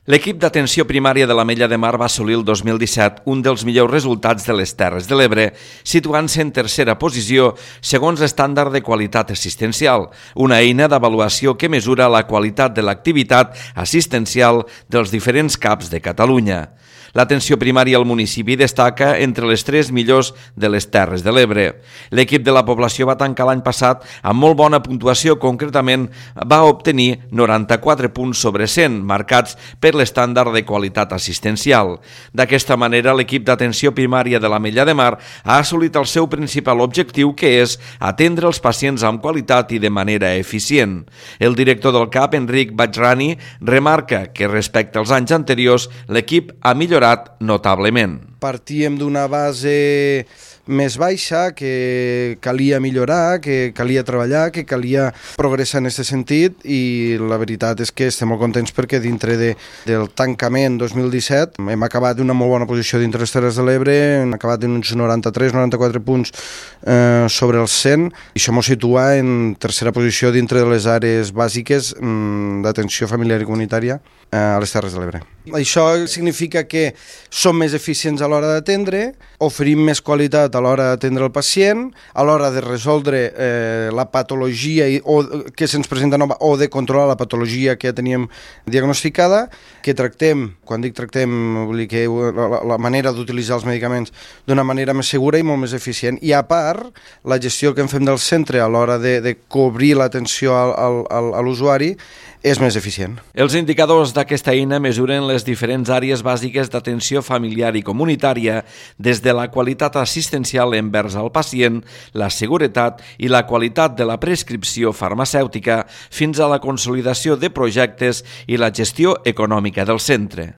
L'equip d'atenció primària de l'Ametlla de Mar va assolir el 2017 un dels millors resultats de les Terres de l'Ebre, situant-se en tercera posició segons l'estàndard de qualitat assistencial, una eina d'avaluació que mesura la qualitat de l'activitat assistencial dels diferents CAPs de Catalunya. L'atenció primària al municipi destaca entre les 3 millors de les Terres de l'Ebre. L'equip de la població va tancar l'any passat amb molt bona puntuació, concretament va obtenir 94 punts sobre 100, marcats per l'estàndard de qualitat assistencial. D'aquesta manera, l'equip d'atenció primària de l'Ametlla de Mar ha assolit el seu principal objectiu, que és atendre els pacients amb qualitat i de manera eficient. El director del CAP, Enric Bajrani, remarca que respecte als anys anteriors l'equip ha millorat notablement. Partíem d'una base més baixa, que calia millorar, que calia treballar, que calia progressar en aquest sentit, i la veritat és que estem molt contents perquè dintre del tancament 2017 hem acabat d'una molt bona posició dintre les Terres de l'Ebre, hem acabat en uns 93-94 punts sobre els 100, i això ens situa en tercera posició dintre de les àrees bàsiques d'atenció familiar i comunitària a les Terres de l'Ebre. Això significa que som més eficients a l'hora d'atendre, oferim més qualitat a l'hora d'atendre el pacient, a l'hora de resoldre la patologia que se'ns presenta nova o de controlar la patologia que ja teníem diagnosticada, que tractem, quan dic tractem, vull dir que la manera d'utilitzar els medicaments d'una manera més segura i molt més eficient. I a part, la gestió que en fem del centre a l'hora de cobrir l'atenció a l'usuari és més eficient. Els indicadors d'aquesta eina mesuren les diferents àrees bàsiques d'atenció familiar i comunitària, des de la qualitat assistencial envers al pacient, la seguretat i la qualitat de la prescripció farmacèutica, fins a la consolidació de projectes i la gestió econòmica del centre.